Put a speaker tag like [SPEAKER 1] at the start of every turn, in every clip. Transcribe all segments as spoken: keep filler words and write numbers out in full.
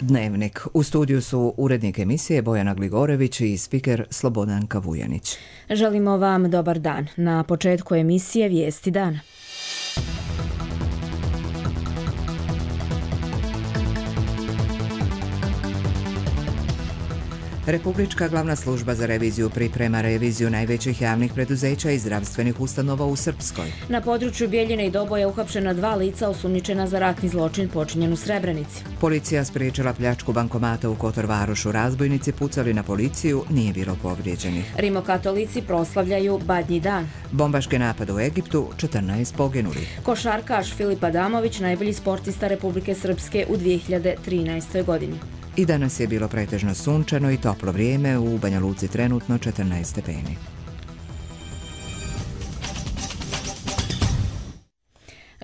[SPEAKER 1] Dnevnik. U studiju su urednik emisije Bojana Gligorević i spiker Slobodanka Vujanić.
[SPEAKER 2] Želimo vam dobar dan. Na početku emisije Vijesti dana.
[SPEAKER 1] Republička glavna služba za reviziju priprema reviziju najvećih javnih preduzeća i zdravstvenih ustanova u Srpskoj.
[SPEAKER 2] Na području Bijeljine i Doboja uhapšena dva lica osumnjičena za ratni zločin počinjen u Srebrenici.
[SPEAKER 1] Policija spriječila pljačku bankomata u Kotor Varošu. Razbojnici pucali na policiju, nije bilo povrijeđenih.
[SPEAKER 2] Rimokatolici proslavljaju Badnji dan.
[SPEAKER 1] Bombaški napad u Egiptu, četrnaest poginulih.
[SPEAKER 2] Košarkaš Filip Adamović, najbolji sportista Republike Srpske u dvije hiljade trinaestoj. godini.
[SPEAKER 1] I danas je bilo pretežno sunčano i toplo vrijeme, u Banja Luci trenutno četrnaest stepeni.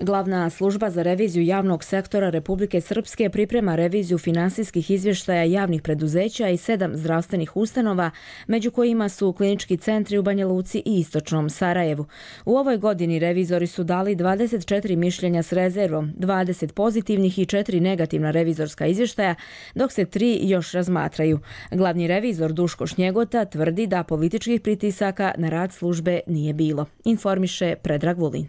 [SPEAKER 2] Glavna služba za reviziju javnog sektora Republike Srpske priprema reviziju finansijskih izvještaja javnih preduzeća i sedam zdravstvenih ustanova, među kojima su klinički centri u Banja Luci i istočnom Sarajevu. U ovoj godini revizori su dali dvadeset četiri mišljenja s rezervom, dvadeset pozitivnih i četiri negativna revizorska izvještaja, dok se tri još razmatraju. Glavni revizor Duško Šnjegota tvrdi da političkih pritisaka na rad službe nije bilo. Informiše Predrag Vulin.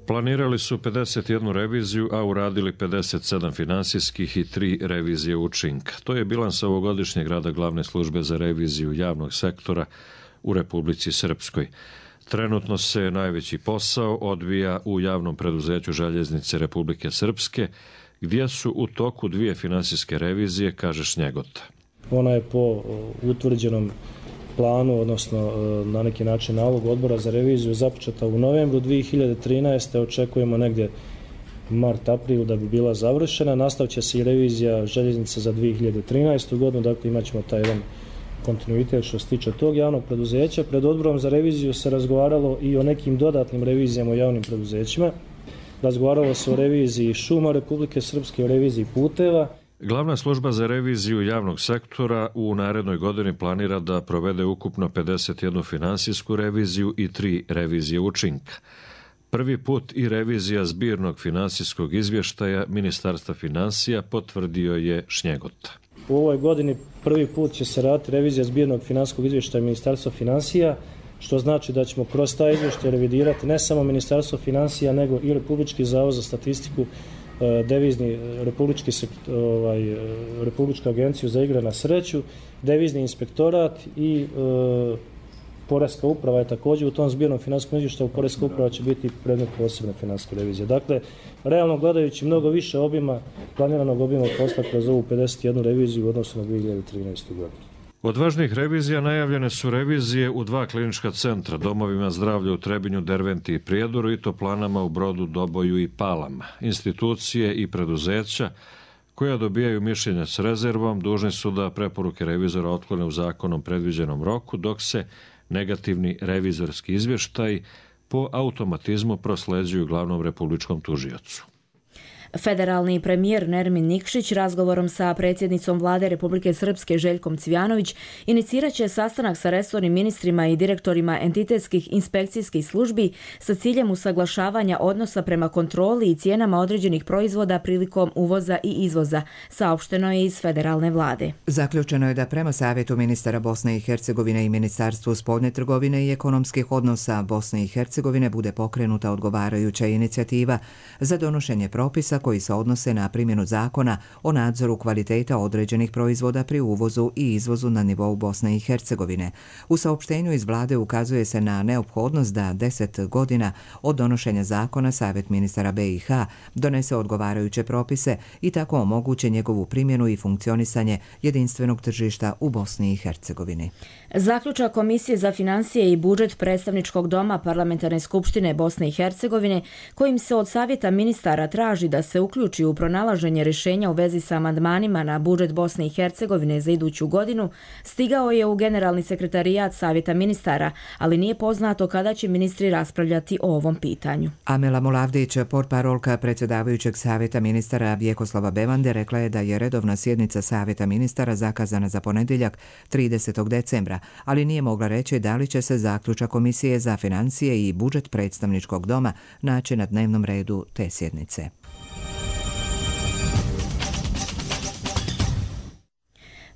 [SPEAKER 3] Planirali su pedeset jednu reviziju, a uradili pedeset sedam finansijskih i tri revizije učinka. To je bilans ovogodišnjeg rada glavne službe za reviziju javnog sektora u Republici Srpskoj. Trenutno se najveći posao odvija u javnom preduzeću Željeznice Republike Srpske, gdje su u toku dvije finansijske revizije, kaže Šnjegota.
[SPEAKER 4] Ona je po utvrđenom planu, odnosno na neki način nalog odbora za reviziju započeta u novembru dvije hiljade trinaeste. Očekujemo negdje mart, april da bi bila završena. Nastavit će se i revizija željeznice za dvije hiljade trinaestu. godinu, dakle imat ćemo taj jedan kontinuitet što se tiče tog javnog preduzeća. Pred odborom za reviziju se razgovaralo i o nekim dodatnim revizijama u javnim preduzećima. Razgovaralo se o reviziji šuma Republike Srpske, o reviziji puteva.
[SPEAKER 3] Glavna služba za reviziju javnog sektora u narednoj godini planira da provede ukupno pedeset jednu finansijsku reviziju i tri revizije učinka. Prvi put i revizija zbirnog finansijskog izvještaja Ministarstva financija, potvrdio je Šnjegota.
[SPEAKER 4] U ovoj godini prvi put će se raditi revizija zbirnog finansijskog izvještaja Ministarstva financija, što znači da ćemo kroz taj izvještaj revidirati ne samo Ministarstvo financija, nego i Republički zavod za statistiku, devizni republički ovaj, Republička agenciju za igre na sreću, devizni inspektorat i e, Poreska uprava je također u tom zbirnom finansijskom izvještaju. Poreska uprava će biti predmet posebne finansijske revizije. Dakle, realno gledajući mnogo više obima, planiranog obima posla kroz ovu pedeset jednu reviziju u odnosu na dvije hiljade trinaestu. godinu.
[SPEAKER 3] Od važnih revizija najavljene su revizije u dva klinička centra, domovima zdravlja u Trebinju, Derventi i Prijedoru i toplanama u Brodu, Doboju i Palama. Institucije i preduzeća koja dobijaju mišljenja s rezervom dužni su da preporuke revizora otklone u zakonom predviđenom roku, dok se negativni revizorski izvještaj po automatizmu prosleđuju glavnom republičkom tužiocu.
[SPEAKER 2] Federalni premijer Nermin Nikšić razgovorom sa predsjednicom vlade Republike Srpske Željkom Cvjanović inicirat će sastanak sa resornim ministrima i direktorima entitetskih inspekcijskih službi sa ciljem usaglašavanja odnosa prema kontroli i cijenama određenih proizvoda prilikom uvoza i izvoza, saopšteno je iz federalne vlade.
[SPEAKER 1] Zaključeno je da prema savjetu ministara Bosne i Hercegovine i Ministarstvu spoljne trgovine i ekonomskih odnosa Bosne i Hercegovine bude pokrenuta odgovarajuća inicijativa za donošenje propisa koji se odnose na primjenu zakona o nadzoru kvaliteta određenih proizvoda pri uvozu i izvozu na nivou Bosne i Hercegovine. U saopštenju iz vlade ukazuje se na neophodnost da deset godina od donošenja zakona Savjet ministara be i ha donese odgovarajuće propise i tako omoguće njegovu primjenu i funkcionisanje jedinstvenog tržišta u Bosni i Hercegovini.
[SPEAKER 2] Zaključak Komisije za financije i budžet Predstavničkog doma Parlamentarne skupštine Bosne i Hercegovine, kojim se od Savjeta ministara traži da se uključi u pronalaženje rješenja u vezi sa amandmanima na budžet Bosne i Hercegovine za iduću godinu, stigao je u Generalni sekretarijat Savjeta ministara, ali nije poznato kada će ministri raspravljati o ovom pitanju.
[SPEAKER 1] Amela Mulavdić, portparolka predsjedavajućeg Savjeta ministara Vjekoslava Bevande, rekla je da je redovna sjednica Savjeta ministara zakazana za ponedjeljak tridesetog decembra, ali nije mogla reći da li će se zaključak Komisije za financije i budžet Predstavničkog doma naći na dnevnom redu te sjednice.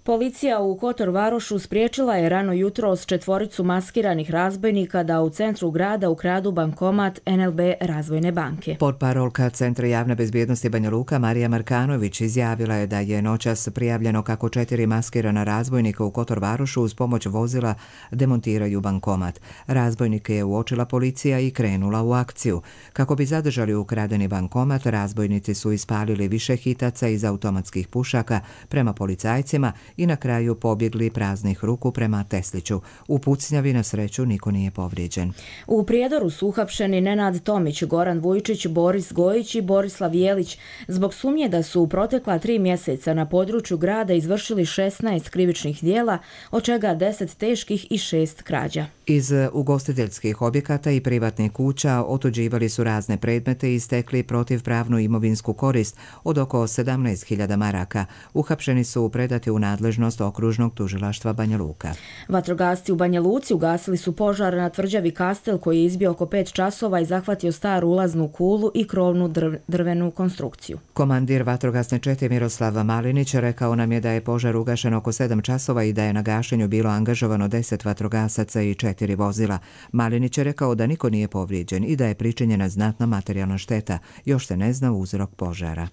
[SPEAKER 2] Policija u Kotor Varošu spriječila je rano jutros četvoricu maskiranih razbojnika da u centru grada ukradu bankomat en el be Razvojne banke.
[SPEAKER 1] Portparolka Centra javne bezbjednosti Banja Luka Marija Markanović izjavila je da je noćas prijavljeno kako četiri maskirana razbojnika u Kotor Varošu uz pomoć vozila demontiraju bankomat. Razbojnike je uočila policija i krenula u akciju. Kako bi zadržali ukradeni bankomat, razbojnici su ispalili više hitaca iz automatskih pušaka prema policajcima i na kraju pobjegli praznih ruku prema Tesliću. U pucnjavi na sreću niko nije povrijeđen.
[SPEAKER 2] U Prijedoru su uhapšeni Nenad Tomić, Goran Vujčić, Boris Gojić i Borislav Jelić zbog sumnje da su u protekla tri mjeseca na području grada izvršili šesnaest krivičnih dijela, od čega deset teških i šest krađa.
[SPEAKER 1] Iz ugostiteljskih objekata i privatnih kuća otuđivali su razne predmete i stekli protivpravnu imovinsku korist od oko sedamnaest hiljada maraka. Uhapšeni su predati u nadležnost okružnog tužilaštva Banja Luka.
[SPEAKER 2] Vatrogasci u Banja Luci ugasili su požar na tvrđavi Kastel koji je izbio oko pet časova i zahvatio staru ulaznu kulu i krovnu drv, drvenu konstrukciju.
[SPEAKER 1] Komandir vatrogasne čete Miroslav Malinić rekao nam je da je požar ugašen oko sedam časova i da je na gašenju bilo angažovano deset vatrogasaca i četiri vozila. Malinić je rekao da niko nije povrijeđen i da je pričinjena znatna materijalna šteta. Još se ne zna uzrok požara.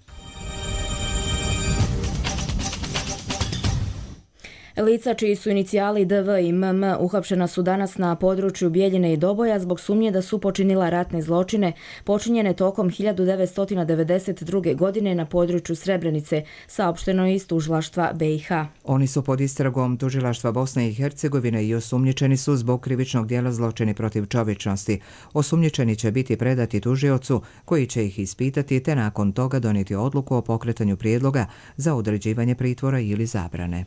[SPEAKER 2] Lica čiji su inicijali de ve i em em uhapšena su danas na području Bijeljine i Doboja zbog sumnje da su počinila ratne zločine počinjene tokom hiljadu devetsto devedeset druge. godine na području Srebrenice, saopšteno iz tužilaštva be i ha.
[SPEAKER 1] Oni su pod istragom tužilaštva Bosne i Hercegovine i osumnjičeni su zbog krivičnog djela zločini protiv čovječnosti. Osumnjičeni će biti predati tužiocu koji će ih ispitati te nakon toga donijeti odluku o pokretanju prijedloga za određivanje pritvora ili zabrane.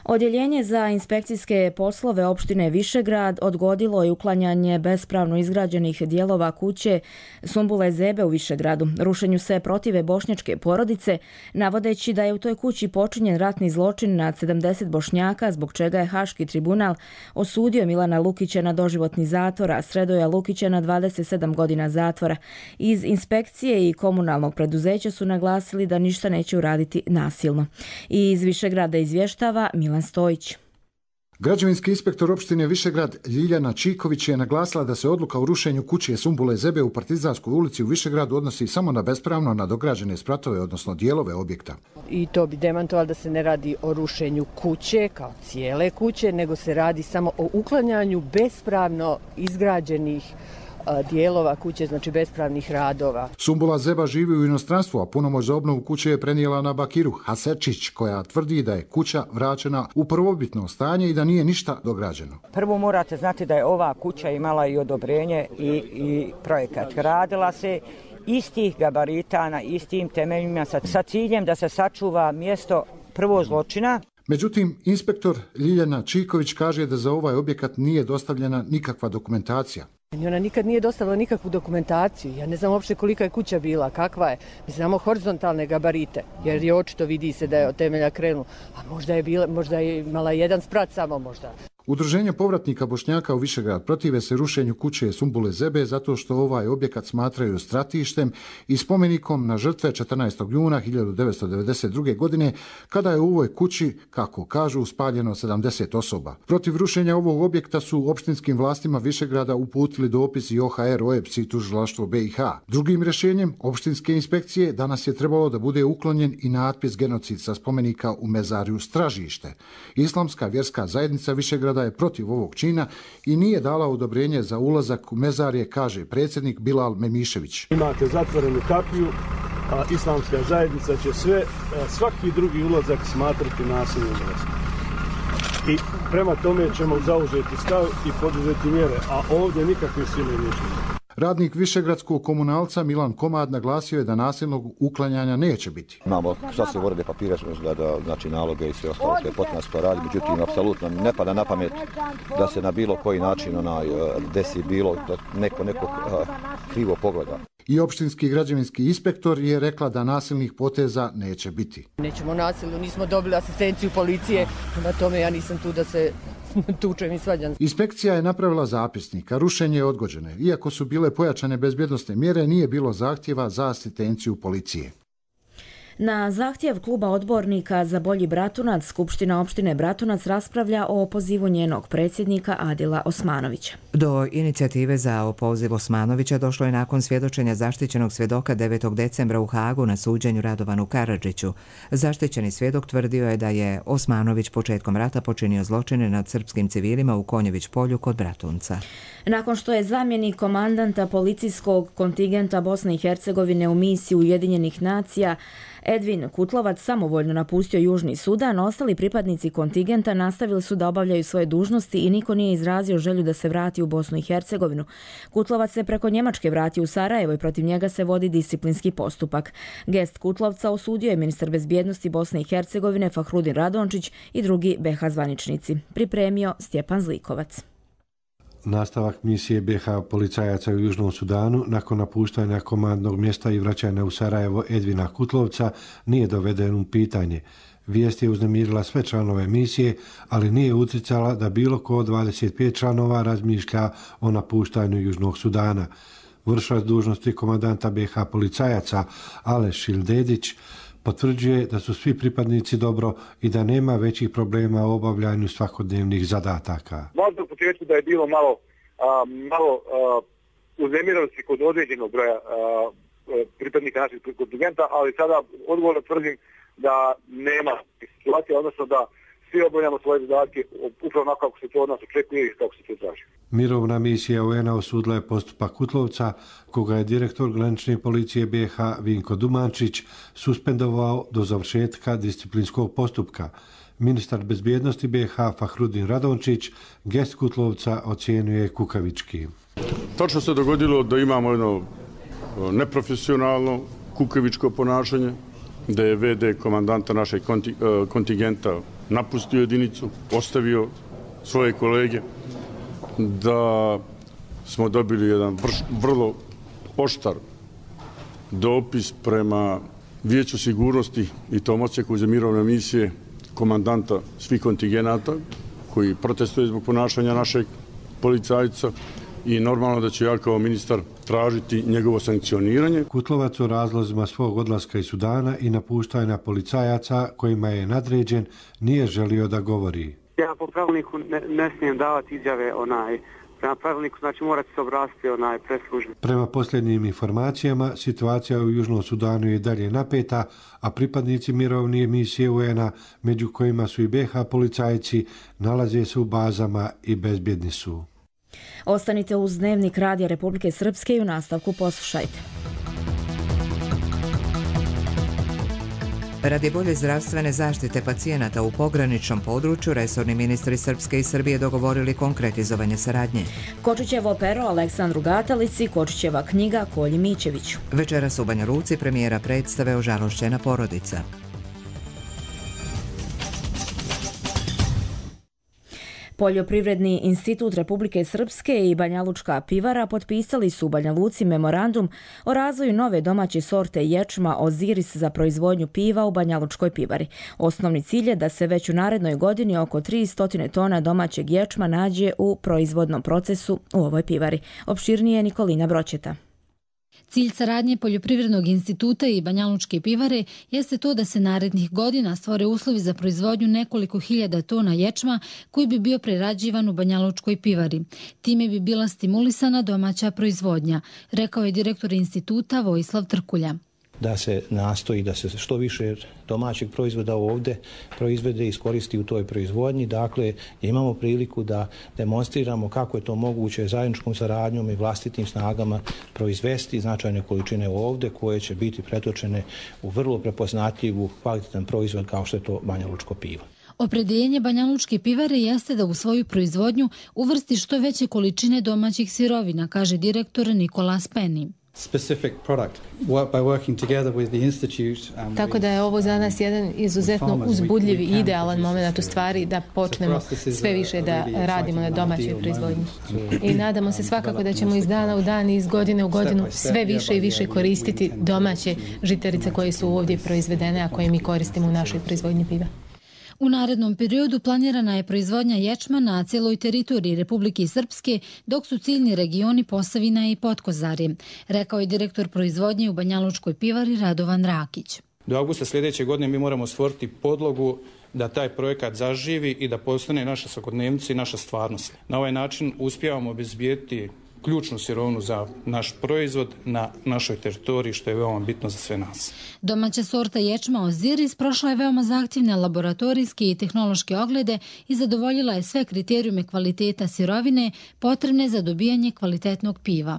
[SPEAKER 2] Odjeljenje za inspekcijske poslove opštine Višegrad odgodilo je uklanjanje bespravno izgrađenih dijelova kuće Sumbule Zebe u Višegradu. Rušenju se protive bošnjačke porodice, navodeći da je u toj kući počinjen ratni zločin nad sedamdeset Bošnjaka, zbog čega je Haški tribunal osudio Milana Lukića na doživotni zatvor, a Sredoja Lukića na dvadeset sedam godina zatvora. Iz inspekcije i komunalnog preduzeća su naglasili da ništa neće uraditi nasilno. I iz Višegrada izvještava Milan Stojić.
[SPEAKER 5] Građevinski inspektor opštine Višegrad Ljiljana Čiković je naglasila da se odluka o rušenju kuće Sumbule Zebe u Partizanskoj ulici u Višegradu odnosi samo na bespravno nadograđene spratove, odnosno dijelove objekta.
[SPEAKER 6] I to bi demantovalo da se ne radi o rušenju kuće kao cijele kuće, nego se radi samo o uklanjanju bespravno izgrađenih dijelova kuće, znači bespravnih radova.
[SPEAKER 5] Sumbula Zeba živi u inostranstvu, a punomoć za obnovu kuće je prenijela na Bakiru Hasečić, koja tvrdi da je kuća vraćena u prvobitno stanje i da nije ništa dograđeno.
[SPEAKER 7] Prvo morate znati da je ova kuća imala i odobrenje i, i projekat. Radila se istih gabarita na istim temeljima sa, sa ciljem da se sačuva mjesto prvo zločina.
[SPEAKER 5] Međutim, inspektor Ljiljana Čiković kaže da za ovaj objekat nije dostavljena nikakva dokumentacija.
[SPEAKER 6] Ona nikad nije dostavila nikakvu dokumentaciju. Ja ne znam uopšte kolika je kuća bila, kakva je. Mi znamo horizontalne gabarite, jer je očito vidi se da je od temelja krenulo. A možda je, bila, možda je imala jedan sprat samo možda.
[SPEAKER 5] Udruženje povratnika Bošnjaka u Višegrad protive se rušenju kuće Sumbule Zebe zato što ovaj objekat smatraju stratištem i spomenikom na žrtve četrnaestog juna hiljadu devetsto devedeset druge. godine, kada je u ovoj kući, kako kažu, spaljeno sedamdeset osoba. Protiv rušenja ovog objekta su opštinskim vlastima Višegrada uputili dopis i o ha er, o e p s i tužilaštvo be i ha. Drugim rješenjem opštinske inspekcije danas je trebalo da bude uklonjen i natpis genocid sa spomenika u mezariju Stražište. Islamska vjerska zajednica Višegrada je protiv ovog čina i nije dala odobrenje za ulazak u mezarje, kaže predsjednik Bilal Memišević.
[SPEAKER 8] Imate zatvorenu kapiju, a islamska zajednica će sve, svaki drugi ulazak smatrati nasilnim mjestom. I prema tome ćemo zauzeti stav i poduzeti mjere, a ovdje nikakve sile neće.
[SPEAKER 5] Radnik višegradskog komunalca Milan Komad naglasio je da nasilnog uklanjanja neće biti.
[SPEAKER 9] Imamo sasvim urede papira, da, da, znači naloge i sve ostalo što je potrebno to radi, međutim, apsolutno ne pada na pamet da se na bilo koji način onaj, desi bilo, da neko neko a, krivo pogleda.
[SPEAKER 5] I opštinski građevinski inspektor je rekla da nasilnih poteza neće biti.
[SPEAKER 6] Nećemo nasilno, nismo dobili asistenciju policije, na tome ja nisam tu da se tučem i svađam.
[SPEAKER 5] Inspekcija je napravila zapisnik, a rušenje je odgođeno. Iako su bile pojačane bezbjednosne mjere, nije bilo zahtjeva za asistenciju policije.
[SPEAKER 2] Na zahtjev kluba odbornika za bolji Bratunac, Skupština opštine Bratunac raspravlja o opozivu njenog predsjednika Adila Osmanovića.
[SPEAKER 1] Do inicijative za opoziv Osmanovića došlo je nakon svjedočenja zaštićenog svjedoka devetog decembra u Hagu na suđenju Radovanu Karadžiću. Zaštićeni svjedok tvrdio je da je Osmanović početkom rata počinio zločine nad srpskim civilima u Konjević polju kod Bratunca.
[SPEAKER 2] Nakon što je zamjenik komandanta policijskog kontingenta Bosne i Hercegovine u misiji Ujedinjenih nacija Edvin Kutlovac samovoljno napustio Južni Sudan, ostali pripadnici kontingenta nastavili su da obavljaju svoje dužnosti i niko nije izrazio želju da se vrati u Bosnu i Hercegovinu. Kutlovac se preko Njemačke vratio u Sarajevo i protiv njega se vodi disciplinski postupak. Gest Kutlovca osudio je ministar bezbjednosti Bosne i Hercegovine Fahrudin Radončić i drugi B H zvaničnici. Pripremio Stjepan Zlikovac.
[SPEAKER 10] Nastavak misije B H policajaca u Južnom Sudanu nakon napuštanja komandnog mjesta i vraćanja u Sarajevo Edvina Kutlovca nije doveden u pitanje. Vijest je uznemirila sve članove misije, ali nije utjecala da bilo ko od dvadeset pet članova razmišlja o napuštanju Južnog Sudana. Vršilac dužnosti komandanta B H policajaca Aleš Šildedić potvrđuje da su svi pripadnici dobro i da nema većih problema u obavljanju svakodnevnih zadataka.
[SPEAKER 11] Možda u početku da je bilo malo, a, malo a, uznemirenosti kod određenog broja a, pripadnika našeg kontingenta, ali sada odgovorno tvrdim da nema situacije, odnosno da svi obavljamo svoje zadatke upravo onako kako se to od nas očekuje i kako se to traži.
[SPEAKER 10] Mirovna misija U N A osudila je postupak Kutlovca, koga je direktor granične policije B H Vinko Dumančić suspendovao do završetka disciplinskog postupka. Ministar bezbjednosti B H Fahrudin Radončić gest Kutlovca ocijenjuje kukavički.
[SPEAKER 12] Točno se dogodilo da imamo jedno neprofesionalno kukavičko ponašanje, da je V D komandanta našeg kontingenta napustio jedinicu, ostavio svoje kolege, da smo dobili jedan vrlo oštar dopis prema Vijeću sigurnosti i tom odseku za mirovne misije komandanta svih kontingenata koji protestuje zbog ponašanja našeg policajca i normalno da ću ja kao ministar tražiti njegovo sankcioniranje.
[SPEAKER 10] Kutlovac o razlozima svog odlaska iz Sudana i napuštanja policajaca kojima je nadređen nije želio da govori.
[SPEAKER 13] Ja po pravilniku ne, ne smijem davati izjave onaj, prema pravilniku, znači morate se obratiti onaj preslužbi.
[SPEAKER 10] Prema posljednjim informacijama, situacija u Južnom Sudanu je dalje napeta, a pripadnici mirovne misije U N A, među kojima su i B H policajci, nalaze se u bazama i bezbjedni su.
[SPEAKER 2] Ostanite uz Dnevnik Radija Republike Srpske i u nastavku poslušajte.
[SPEAKER 1] Radi bolje zdravstvene zaštite pacijenata u pograničnom području, resorni ministri Srpske i Srbije dogovorili konkretizovanje saradnje.
[SPEAKER 2] Kočićevo pero Aleksandru Gatalici, Kočićeva knjiga Kolji Mićeviću.
[SPEAKER 1] Večeras u Banja Luci premijera predstave Ožalošćena porodica.
[SPEAKER 2] Poljoprivredni institut Republike Srpske i Banjalučka pivara potpisali su u Banja Luci memorandum o razvoju nove domaće sorte ječma Oziris za proizvodnju piva u Banjalučkoj pivari. Osnovni cilj je da se već u narednoj godini oko tristo tona domaćeg ječma nađe u proizvodnom procesu u ovoj pivari. Opširnije Nikolina Broćeta.
[SPEAKER 14] Cilj saradnje Poljoprivrednog instituta i Banjalučke pivare jeste to da se narednih godina stvore uslovi za proizvodnju nekoliko hiljada tona ječma koji bi bio prerađivan u Banjalučkoj pivari. Time bi bila stimulisana domaća proizvodnja, rekao je direktor instituta Vojislav Trkulja.
[SPEAKER 15] Da se nastoji da se što više domaćeg proizvoda ovdje proizvede i iskoristi u toj proizvodnji. Dakle, imamo priliku da demonstriramo kako je to moguće zajedničkom saradnjom i vlastitim snagama proizvesti značajne količine ovdje koje će biti pretočene u vrlo prepoznatljivu kvalitetan proizvod kao što je to banjalučko pivo.
[SPEAKER 14] Opredjeljenje Banjalučke pivare jeste da u svoju proizvodnju uvrsti što veće količine domaćih sirovina, kaže direktor Nikola Speni.
[SPEAKER 16] Tako da je ovo za nas jedan izuzetno uzbudljiv i idealan moment u stvari da počnemo sve više da radimo na domaćoj proizvodnji. I nadamo se svakako da ćemo iz dana u dan i iz godine u godinu sve više i više koristiti domaće žitarice koje su ovdje proizvedene, a koje mi koristimo u našoj proizvodnji piva.
[SPEAKER 14] U narednom periodu planirana je proizvodnja ječma na cijeloj teritoriji Republike Srpske, dok su ciljni regioni Posavina i Potkozarje, rekao je direktor proizvodnje u Banjalučkoj pivari Radovan Rakić.
[SPEAKER 17] Do avgusta sljedeće godine mi moramo stvoriti podlogu da taj projekat zaživi i da postane naša svakodnevnica i naša stvarnost. Na ovaj način uspijevamo obezbijeti ključnu sirovinu za naš proizvod na našoj teritoriji, što je veoma bitno za sve nas.
[SPEAKER 14] Domaća sorta ječma Oziris prošla je veoma zahtjevne laboratorijske i tehnološke oglede i zadovoljila je sve kriterijume kvaliteta sirovine potrebne za dobijanje kvalitetnog piva.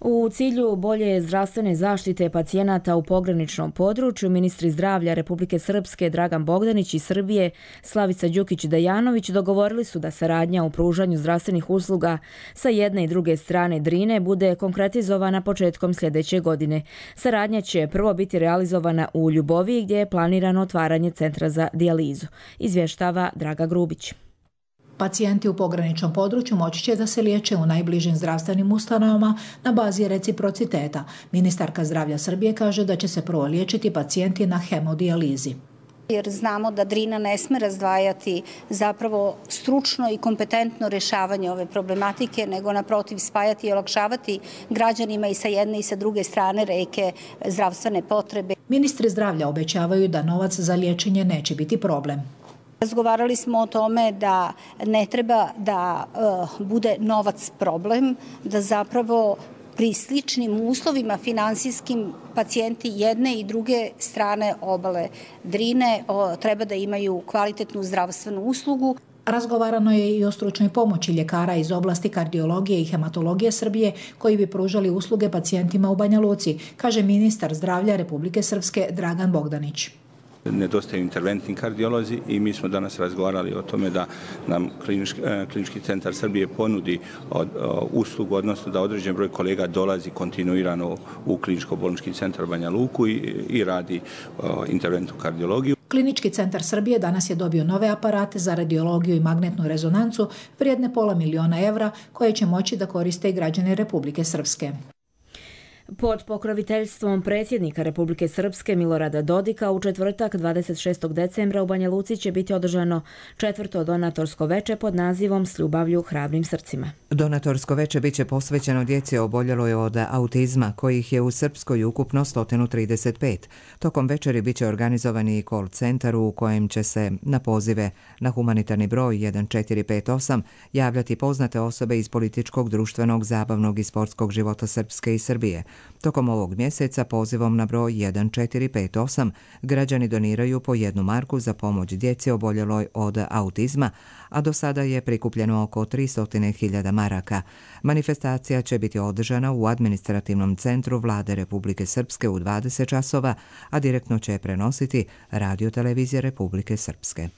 [SPEAKER 2] U cilju bolje zdravstvene zaštite pacijenata u pograničnom području, ministri zdravlja Republike Srpske Dragan Bogdanić i Srbije Slavica Đukić-Dejanović dogovorili su da saradnja u pružanju zdravstvenih usluga sa jedne i druge strane Drine bude konkretizovana početkom sljedeće godine. Saradnja će prvo biti realizovana u Ljuboviji, gdje je planirano otvaranje centra za dijalizu, izvještava Draga Grubić.
[SPEAKER 18] Pacijenti u pograničnom području moći će da se liječe u najbližim zdravstvenim ustanovama na bazi reciprociteta. Ministarka zdravlja Srbije kaže da će se prvo liječiti pacijenti na hemodijalizi.
[SPEAKER 19] Jer znamo da Drina ne sme razdvajati zapravo stručno i kompetentno rješavanje ove problematike, nego naprotiv spajati i olakšavati građanima i sa jedne i sa druge strane reke zdravstvene potrebe.
[SPEAKER 18] Ministri zdravlja obećavaju da novac za liječenje neće biti problem.
[SPEAKER 19] Razgovarali smo o tome da ne treba da uh, bude novac problem, da zapravo pri sličnim uslovima finansijskim pacijenti jedne i druge strane obale Drine o, treba da imaju kvalitetnu zdravstvenu uslugu.
[SPEAKER 18] Razgovarano je i o stručnoj pomoći ljekara iz oblasti kardiologije i hematologije Srbije koji bi pružali usluge pacijentima u Banja Luci, kaže ministar zdravlja Republike Srpske Dragan Bogdanić.
[SPEAKER 20] Nedostaju interventni kardiolozi i mi smo danas razgovarali o tome da nam klinički, klinički centar Srbije ponudi od, o, uslugu, odnosno da određen broj kolega dolazi kontinuirano u kliničko-bolnički centar Banja Luku i, i radi o, interventnu kardiologiju.
[SPEAKER 18] Klinički centar Srbije danas je dobio nove aparate za radiologiju i magnetnu rezonancu vrijedne pola miliona evra koje će moći da koriste i građani Republike Srpske.
[SPEAKER 2] Pod pokroviteljstvom predsjednika Republike Srpske Milorada Dodika u četvrtak dvadeset šestog decembra u Banja Luci će biti održano četvrto donatorsko veče pod nazivom S ljubavlju hrabrim srcima.
[SPEAKER 1] Donatorsko veče biće posvećeno djeci oboljeloj od autizma, kojih je u Srpskoj ukupno sto trideset pet. Tokom večeri biće organizovani i call centar u kojem će se na pozive na humanitarni broj jedan četiri pet osam javljati poznate osobe iz političkog, društvenog, zabavnog i sportskog života Srpske i Srbije. Tokom ovog mjeseca pozivom na broj jedan četiri pet osam građani doniraju po jednu marku za pomoć djeci oboljeloj od autizma, a do sada je prikupljeno oko tristo hiljada maraka. Manifestacija će biti održana u administrativnom centru Vlade Republike Srpske u dvadeset časova, a direktno će prenositi Radio televizija Republike Srpske.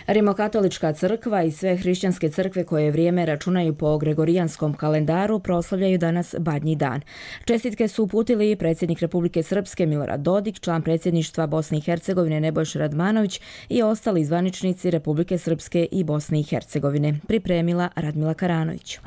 [SPEAKER 2] Rimokatolička crkva i sve hrišćanske crkve koje vrijeme računaju po gregorijanskom kalendaru proslavljaju danas Badnji dan. Čestitke su uputili i predsjednik Republike Srpske Milorad Dodik, član predsjedništva Bosne i Hercegovine Nebojša Radmanović i ostali zvaničnici Republike Srpske i Bosne i Hercegovine. Pripremila Radmila Karanović.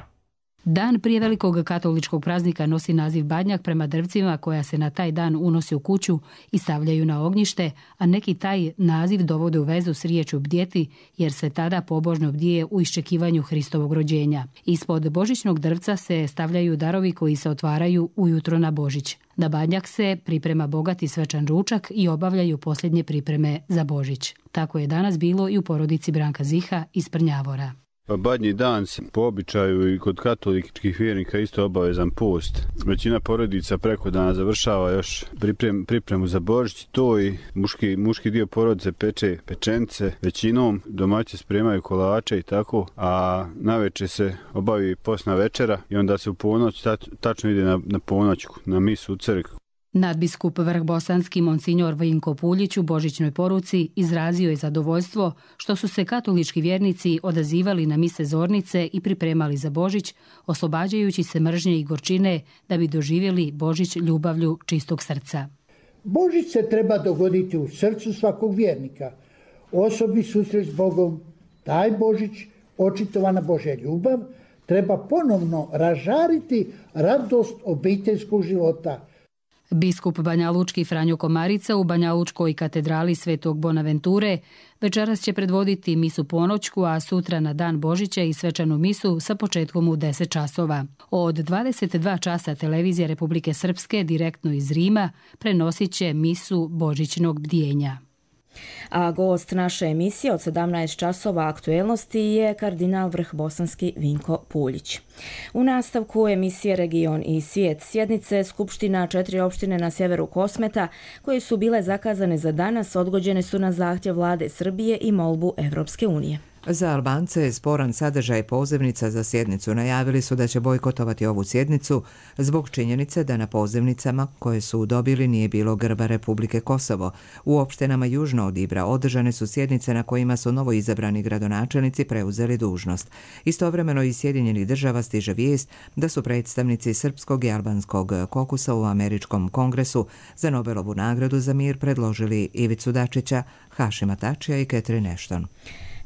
[SPEAKER 21] Dan prije velikog katoličkog praznika nosi naziv Badnjak prema drvcima koja se na taj dan unosi u kuću i stavljaju na ognjište, a neki taj naziv dovode u vezu s riječju bdjeti jer se tada pobožno bdije u iščekivanju Hristovog rođenja. Ispod božićnog drvca se stavljaju darovi koji se otvaraju ujutro na Božić. Na Badnjak se priprema bogat i svečan ručak i obavljaju posljednje pripreme za Božić. Tako je danas bilo i u porodici Branka Ziha iz Prnjavora.
[SPEAKER 22] Badnji dan se po običaju i kod katoličkih vjernika isto obavezan post. Većina porodica preko dana završava još priprem, pripremu za Božić. To i muški, muški dio porodice peče pečence. Većinom domaći spremaju kolače i tako, a navečer se obavi postna večera i onda se u ponoć tač, tačno ide na, na ponoćku, na misu u crkvu.
[SPEAKER 21] Nadbiskup vrhbosanski monsinjor Vinko Puljić u božićnoj poruci izrazio je zadovoljstvo što su se katolički vjernici odazivali na mise zornice i pripremali za Božić, oslobađajući se mržnje i gorčine da bi doživjeli Božić ljubavlju čistog srca.
[SPEAKER 23] Božić se treba dogoditi u srcu svakog vjernika. Osobni susret s Bogom, taj Božić, očitovana Božja ljubav, treba ponovno ražariti radost obiteljskog života.
[SPEAKER 21] Biskup banjalučki Franjo Komarica u Banjalučkoj katedrali Svetog Bonaventure večeras će predvoditi misu ponoćku, a sutra na dan Božića i svečanu misu sa početkom u deset časova. Od dvadeset dva časa televizija Republike Srpske direktno iz Rima prenosit će misu božićnog bdijenja.
[SPEAKER 2] A gost naše emisije od sedamnaest časova aktuelnosti je kardinal vrhbosanski Vinko Puljić. U nastavku emisije Region i svijet sjednice Skupština četiri opštine na sjeveru Kosmeta, koje su bile zakazane za danas, odgođene su na zahtjev vlade Srbije i molbu Evropske unije.
[SPEAKER 1] Za Albance je sporan sadržaj pozivnica za sjednicu. Najavili su da će bojkotovati ovu sjednicu zbog činjenice da na pozivnicama koje su dobili nije bilo grba Republike Kosovo. U opštinama južno od Ibra održane su sjednice na kojima su novo izabrani gradonačelnici preuzeli dužnost. Istovremeno iz Sjedinjenih država stiže vijest da su predstavnici srpskog i albanskog kokusa u Američkom kongresu za Nobelovu nagradu za mir predložili Ivicu Dačića, Hašima Tačija i Catherine Ashton.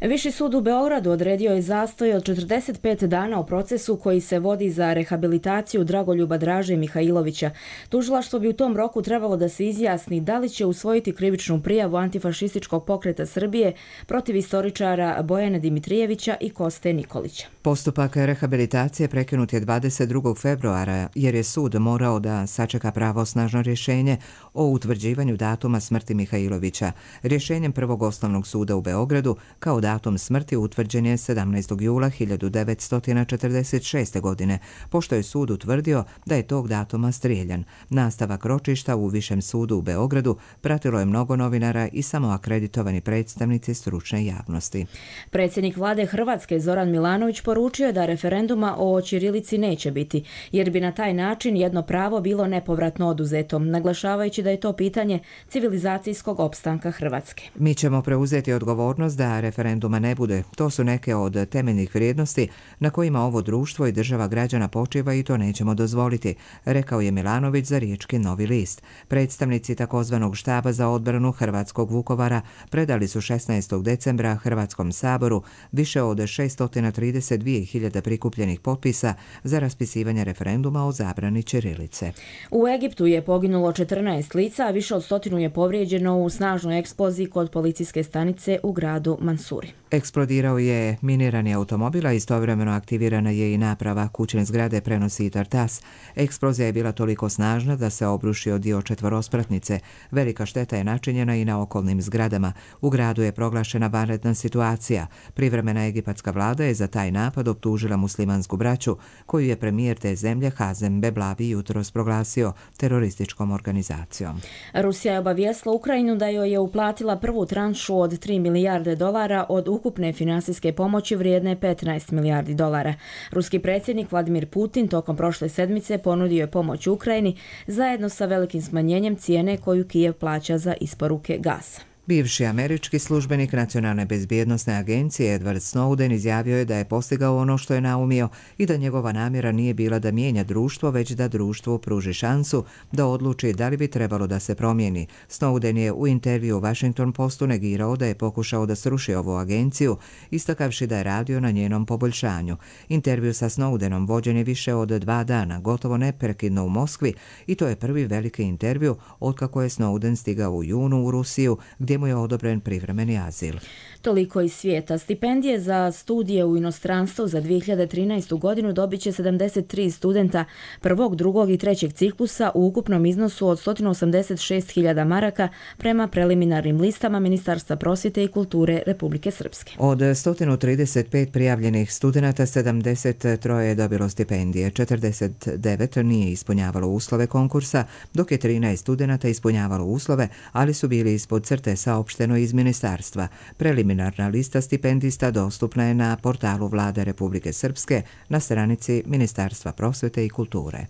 [SPEAKER 2] Viši sud u Beogradu odredio je zastoj od četrdeset pet dana u procesu koji se vodi za rehabilitaciju Dragoljuba Draže Mihajlovića. Tužilaštvo bi u tom roku trebalo da se izjasni da li će usvojiti krivičnu prijavu antifašističkog pokreta Srbije protiv istoričara Bojana Dimitrijevića i Koste Nikolića.
[SPEAKER 1] Postupak rehabilitacije prekinut je dvadeset drugog februara jer je sud morao da sačeka pravosnažno rješenje o utvrđivanju datuma smrti Mihajlovića. Rješenjem Prvog osnovnog suda u Beogradu kao datum smrti utvrđen je sedamnaestog jula hiljadu devetsto četrdeset šeste. godine, pošto je sud utvrdio da je tog datuma strijeljan. Nastavak ročišta u Višem sudu u Beogradu pratilo je mnogo novinara i samo akreditovani predstavnici stručne javnosti.
[SPEAKER 2] Predsjednik vlade Hrvatske Zoran Milanović poručio je da referenduma o ćirilici neće biti, jer bi na taj način jedno pravo bilo nepovratno oduzeto, naglašavajući da je to pitanje civilizacijskog opstanka Hrvatske.
[SPEAKER 1] Mi ćemo preuzeti odgovornost da referenduma ne bude. To su neke od temeljnih vrijednosti na kojima ovo društvo i država građana počiva i to nećemo dozvoliti, rekao je Milanović za riječki Novi list. Predstavnici takozvanog štaba za odbranu Hrvatskog Vukovara predali su šesnaestog decembra Hrvatskom saboru više od šesto trideset dvije hiljade prikupljenih potpisa za raspisivanje referenduma o zabrani ćirilice.
[SPEAKER 2] U Egiptu je poginulo četrnaest lica, a više od stotinu je povrijeđeno u snažnoj eksploziji kod policijske stanice u gradu Mansuri.
[SPEAKER 1] Eksplodirao je minirani automobil, a istovremeno aktivirana je i naprava kućne zgrade prenosi Tartas. Eksplozija je bila toliko snažna da se obrušio dio četvorospratnice. Velika šteta je načinjena i na okolnim zgradama. U gradu je proglašena vanredna situacija. Privremena egipatska vlada je za taj napad optužila muslimansku braću, koju je premijer te zemlje Hazem Beblavi jutros proglasio terorističkom organizacijom.
[SPEAKER 2] Rusija je obavijestila Ukrajinu da joj je uplatila prvu tranšu od tri milijarde dolara od ukupne finansijske pomoći vrijedne petnaest milijardi dolara. Ruski predsjednik Vladimir Putin tokom prošle sedmice ponudio je pomoć Ukrajini zajedno sa velikim smanjenjem cijene koju Kijev plaća za isporuke gasa.
[SPEAKER 1] Bivši američki službenik Nacionalne bezbjednosne agencije Edward Snowden izjavio je da je postigao ono što je naumio i da njegova namjera nije bila da mijenja društvo, već da društvu pruži šansu da odluči da li bi trebalo da se promijeni. Snowden je u intervju u Washington Postu negirao da je pokušao da sruši ovu agenciju, istakavši da je radio na njenom poboljšanju. Intervju sa Snowdenom vođen je više od dva dana, gotovo neprekidno u Moskvi, i to je prvi veliki intervju otkako je Snowden stigao u junu u Rusiju, gdje mu je odobren privremeni azil.
[SPEAKER 2] Toliko iz svijeta. Stipendije za studije u inostranstvu za dvije hiljade trinaestu. godinu dobit će sedamdeset tri studenta prvog, drugog i trećeg ciklusa u ukupnom iznosu od sto osamdeset šest hiljada maraka prema preliminarnim listama Ministarstva prosvjete i kulture Republike Srpske.
[SPEAKER 1] Od sto trideset pet prijavljenih studenata sedamdeset tri je dobilo stipendije, četrdeset devet nije ispunjavalo uslove konkursa, dok je trinaest studenata ispunjavalo uslove, ali su bili ispod crte, saopšteno iz ministarstva. Preliminarna lista stipendista dostupna je na portalu Vlade Republike Srpske na stranici Ministarstva prosvjete i kulture.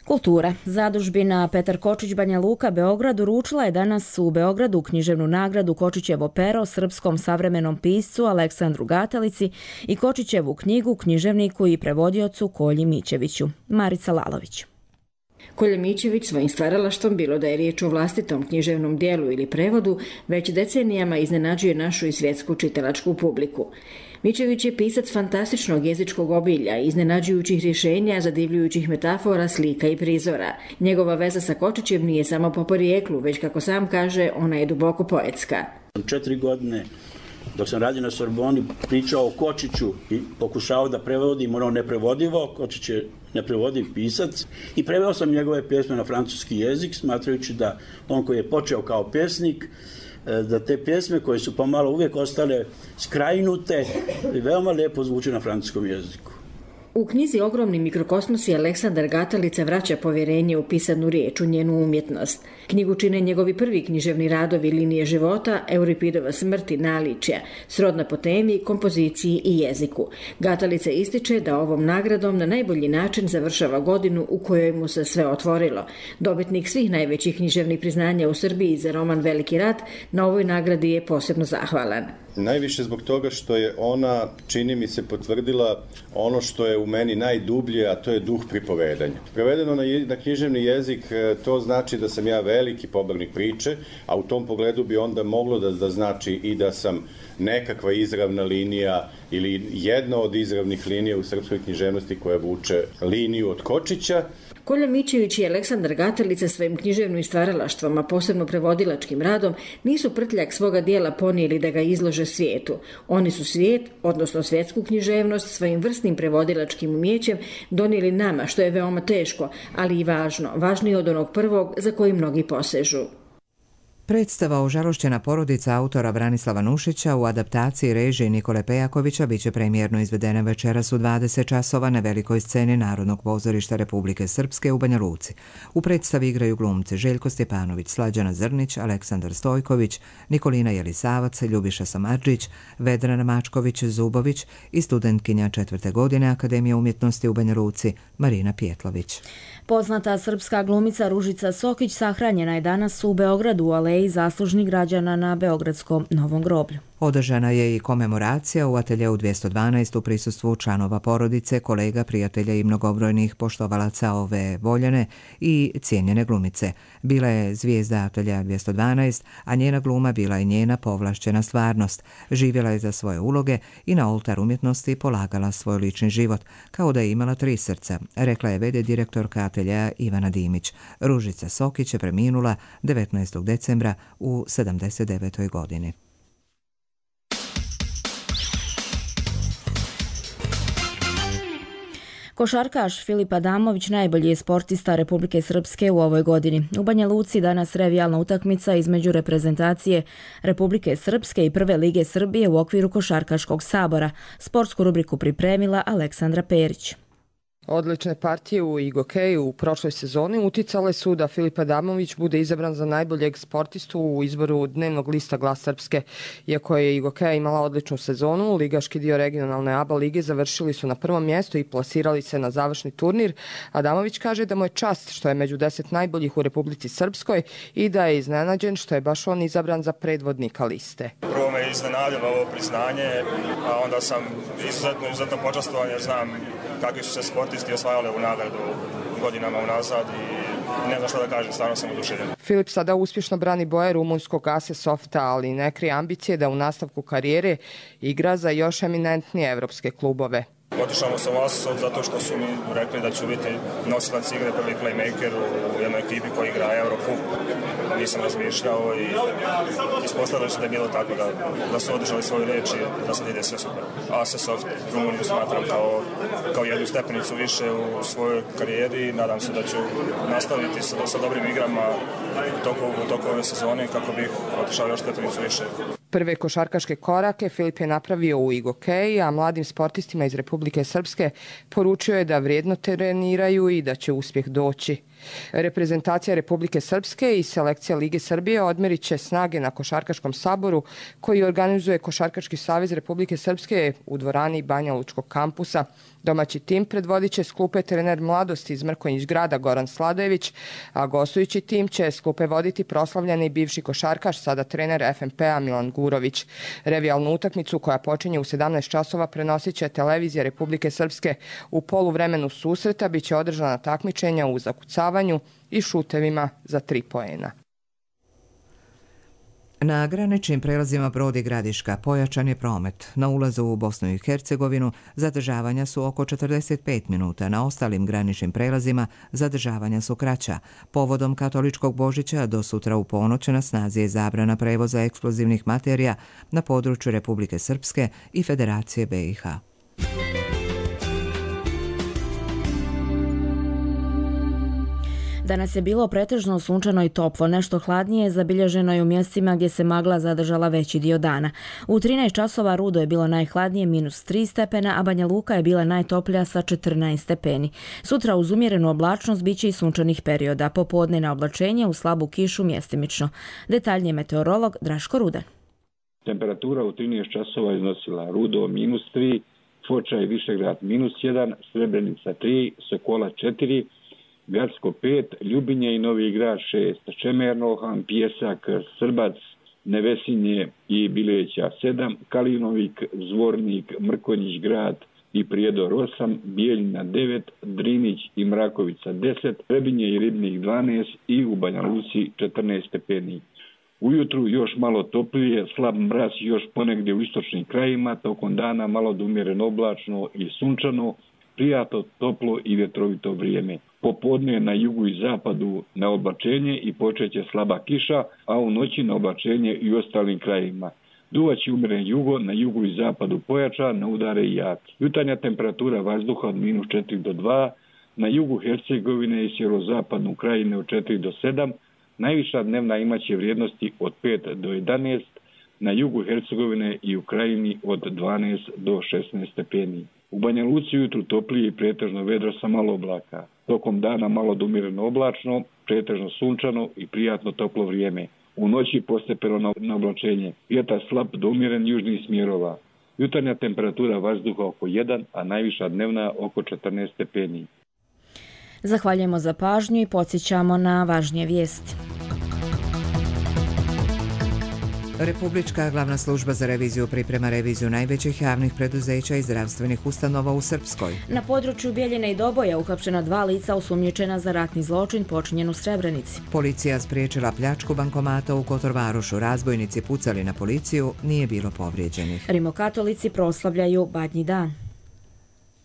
[SPEAKER 2] Kultura. Zadužbina Petar Kočić Banja Luka Beograd uručila je danas u Beogradu književnu nagradu Kočićevo pero srpskom savremenom piscu Aleksandru Gatalici i Kočićevu knjigu književniku i prevodiocu Kolji Mićeviću. Marica Lalović.
[SPEAKER 3] Kolja Mićević svojim stvaralaštvom, bilo da je riječ o vlastitom književnom dijelu ili prevodu, već decenijama iznenađuje našu i svjetsku čitalačku publiku. Mičević je pisac fantastičnog jezičkog obilja, iznenađujućih rješenja, zadivljujućih metafora, slika i prizora. Njegova veza sa Kočićem nije samo po porijeklu, već kako sam kaže, ona je duboko poetska.
[SPEAKER 4] Četiri godine dok sam radio na Sorboni pričao o Kočiću i pokušao da prevodim ono neprevodivo. Kočić je neprevodiv pisac i preveo sam njegove pjesme na francuski jezik, smatrajući da on koji je počeo kao pjesnik, da te pjesme koje su pomalo uvijek ostale skrajnute i veoma lijepo zvuče na francuskom jeziku.
[SPEAKER 3] U knjizi Ogromni mikrokosmosi Aleksandar Gatalica vraća povjerenje u pisanu riječ, u njenu umjetnost. Knjigu čine njegovi prvi književni radovi Linije života, Euripidova smrt i naličja, srodna po temi, kompoziciji i jeziku. Gatalica ističe da ovom nagradom na najbolji način završava godinu u kojoj mu se sve otvorilo. Dobitnik svih najvećih književnih priznanja u Srbiji za roman Veliki rat na ovoj nagradi je posebno zahvalan.
[SPEAKER 7] Najviše zbog toga što je ona, čini mi se, potvrdila ono što je u meni najdublje, a to je duh pripovedanja. Prevedeno na, na književni jezik, to znači da sam ja veliki pobornik priče, a u tom pogledu bi onda moglo da, da znači i da sam nekakva izravna linija ili jedna od izravnih linija u srpskoj književnosti koja vuče liniju od Kočića.
[SPEAKER 3] Kolja Mičević i Aleksandar Gatalica svojim književnim stvaralaštvom, a posebno prevodilačkim radom, nisu prtljak svoga dijela ponijeli da ga izlože svijetu. Oni su svijet, odnosno svjetsku književnost, svojim vrsnim prevodilačkim umjećem donijeli nama, što je veoma teško, ali i važno, važnije od onog prvog za koji mnogi posežu.
[SPEAKER 1] Predstava Ožalošćena porodica autora Branislava Nušića u adaptaciji režije Nikole Pejakovića biće premijerno izvedena večeras u dvadeset časova na velikoj sceni Narodnog pozorišta Republike Srpske u Banja Luci. U predstavi igraju glumci Željko Stjepanović, Slađana Zrnić, Aleksandar Stojković, Nikolina Jelisavac, Ljubiša Samardžić, Vedrana Mačković-Zubović i studentkinja četvrte godine Akademije umjetnosti u Banja Luci Marina Pjetlović.
[SPEAKER 2] Poznata srpska glumica Ružica Sokić sahranjena je danas u Beogradu u aleji zaslužnih građana na Beogradskom Novom groblju.
[SPEAKER 1] Održana je i komemoracija u ateljeu dvjesto dvanaest u prisustvu članova porodice, kolega, prijatelja i mnogobrojnih poštovalaca ove voljene i cijenjene glumice. Bila je zvijezda ateljeja dvjesto dvanaest, a njena gluma bila je njena povlašćena stvarnost. Živjela je za svoje uloge i na oltar umjetnosti polagala svoj lični život, kao da je imala tri srca, rekla je vede direktorka ateljeja Ivana Dimić. Ružica Sokić je preminula devetnaestog decembra u sedamdeset devetoj godini.
[SPEAKER 2] Košarkaš Filip Adamović najbolji je sportista Republike Srpske u ovoj godini. U Banja Luci danas revijalna utakmica između reprezentacije Republike Srpske i Prve lige Srbije u okviru Košarkaškog sabora. Sportsku rubriku pripremila Aleksandra Perić.
[SPEAKER 8] Odlične partije u igokeju u prošloj sezoni uticale su da Filip Adamović bude izabran za najboljeg sportistu u izboru dnevnog lista Glas Srpske. Iako je igokeja imala odličnu sezonu, ligaški dio regionalne A B A lige završili su na prvom mjestu i plasirali se na završni turnir. Adamović kaže da mu je čast što je među deset najboljih u Republici Srpskoj i da je iznenađen što je baš on izabran za predvodnika liste.
[SPEAKER 24] Prvo me iznenadilo ovo priznanje, a onda sam izuzetno, izuzetno počastovan jer znam kakvi su se sportisti osvajali ovu nagradu godinama unazad i ne znam što da kažem, stvarno sam oduševljen.
[SPEAKER 8] Filip sada uspješno brani boje rumunskog A S E Softa, ali ne krije ambicije da u nastavku karijere igra za još eminentnije evropske klubove.
[SPEAKER 24] Otišao sam u A S E Soft zato što su mi rekli da ću biti nosilac igre, prvi playmaker u jednoj ekipi koja igra Eurocup. Nisam razmišljao i ispostavilo se da je bilo tako da, da su održali svoju riječ i da sad ide sve super. A S E Soft Rumuniju smatram kao, kao jednu stepenicu više u svojoj karijeri i nadam se da ću nastaviti sa, sa dobrim igrama u toku ove sezone kako bih otišao još stepenicu više.
[SPEAKER 8] Prve košarkaške korake Filip je napravio u igokeji, a mladim sportistima iz Republike Srpske poručio je da vrijedno treniraju i da će uspjeh doći. Reprezentacija Republike Srpske i selekcija Lige Srbije odmerit će snage na Košarkaškom saboru koji organizuje Košarkaški savez Republike Srpske u dvorani Banja Lučkog kampusa. Domaći tim predvodit će s klupe trener mladosti iz Mrkonjić grada Goran Sladojević, a gostujući tim će s klupe voditi proslavljeni bivši košarkaš, sada trener F M P-a Milan Gurović. Revijalnu utakmicu koja počinje u sedamnaest časova prenosit će televizija Republike Srpske. U poluvremenu susreta biće održana takmičenja u zakucavanju i šutevima za tri poena.
[SPEAKER 1] Na graničnim prelazima Brod i Gradiška pojačan je promet. Na ulazu u Bosnu i Hercegovinu zadržavanja su oko četrdeset pet minuta, na ostalim graničnim prelazima zadržavanja su kraća. Povodom katoličkog Božića do sutra u ponoć na snazi je zabrana prevoza eksplozivnih materija na području Republike Srpske i Federacije B i H.
[SPEAKER 2] Danas je bilo pretežno sunčano i toplo, nešto hladnije zabilježeno je u mjestima gdje se magla zadržala veći dio dana. U trinaest časova Rudo je bilo najhladnije minus tri stepena, a Banja Luka je bila najtoplija sa četrnaest stepeni. Sutra uz umjerenu oblačnost bit će i sunčanih perioda, popodne na oblačenje u slabu kišu mjestimično. Detaljnije meteorolog Draško Rudan.
[SPEAKER 5] Temperatura u trinaest časova iznosila Rudo minus tri, Foča i Višegrad minus jedan, Srebrenica tri, Sokola četiri, Gradsko pet, Ljubinje i Novi Grad šest, Čemernohan, Pjesak, Srbac, Nevesinje i Bileća sedam, Kalinovik, Zvornik, Mrkonjić Grad i Prijedor osam, Bijeljina devet, Drinić i Mrakovica deset, Trebinje i Ribnik dvanaest i u Banja Luci četrnaest stepeni. Ujutru još malo toplije, slab mraz još ponegdje u istočnim krajima, tokom dana malo umjereno oblačno i sunčano, prijatno, toplo i vjetrovito vrijeme. Popodne na jugu i zapadu na oblačenje i počeće slaba kiša, a u noći na oblačenje i u ostalim krajima. Duvaće umjeren jugo, na jugu i zapadu pojača, na udare i jak. Jutarnja temperatura vazduha od minus četiri do dva, na jugu Hercegovine i sjeverozapadnu krajine od četiri do sedam, najviša dnevna imaće vrijednosti od pet do jedanaest, na jugu Hercegovine i u krajini od dvanaest do šesnaest stepeni. U Banja Luci ujutru toplije i pretežno vedro sa malo oblaka. Tokom dana malo umjereno oblačno, pretežno sunčano i prijatno toplo vrijeme. U noći postepeno na oblačenje. Vjetar slab do umjeren južnih smjerova. Jutarnja temperatura vazduha oko jedan, a najviša dnevna oko četrnaest stepeni.
[SPEAKER 2] Zahvaljujemo za pažnju i podsjećamo na važnije vijesti.
[SPEAKER 1] Republička glavna služba za reviziju priprema reviziju najvećih javnih preduzeća i zdravstvenih ustanova u Srpskoj.
[SPEAKER 2] Na području Bjeljine i Doboja uhapšena dva lica osumnjičena za ratni zločin počinjen u Srebrenici.
[SPEAKER 1] Policija spriječila pljačku bankomata u Kotorvarušu. Razbojnici pucali na policiju, nije bilo povrijeđenih.
[SPEAKER 2] Rimokatolici proslavljaju Badnji dan.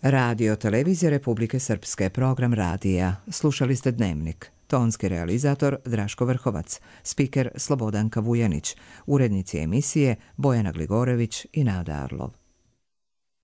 [SPEAKER 1] Radio Televizija Republike Srpske, program radija. Slušali ste Dnevnik. Tonski realizator Draško Vrhovac, spiker Slobodanka Vujanić, urednici emisije Bojana Gligorević i Nada Arlov.